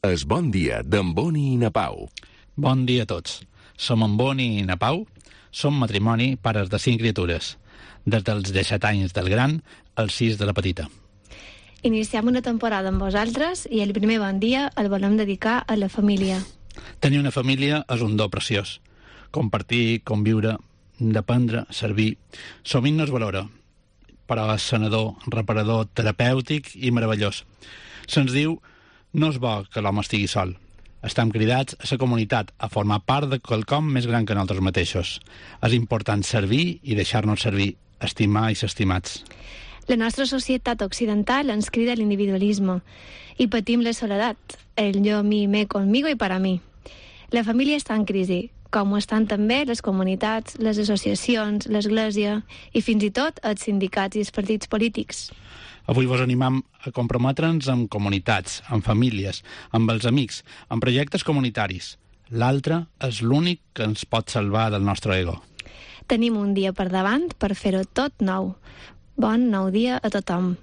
És Bon Dia d'en Boni i na Pau. Bon dia a tots. Som en Boni i na Pau. Som matrimoni, pares de 5 criatures. Des dels 17 anys del gran als 6 de la petita. Iniciem una temporada amb vosaltres i el primer bon dia el volem dedicar a la família. Tenir una família és un do preciós. Compartir, conviure, dependre, servir. Sovint no es valora, però és sanador, reparador, terapèutic i meravellós. Se'ns diu, no és bo que l'home estigui sol. Estem cridats a la comunitat, a formar part de quelcom més gran que nosaltres mateixos. És important servir i deixar-nos servir, estimar i ser estimats. La nostra societat occidental ens crida a l'individualisme i patim la soledat, el jo, mi, me, conmigo i para mi. La família està en crisi, com ho estan també les comunitats, les associacions, l'església i fins i tot els sindicats i els partits polítics. Avui vos animam a comprometre'ns amb comunitats, amb famílies, amb els amics, amb projectes comunitaris. L'altre és l'únic que ens pot salvar del nostre ego. Tenim un dia per davant per fer-ho tot nou. Bon nou dia a tothom.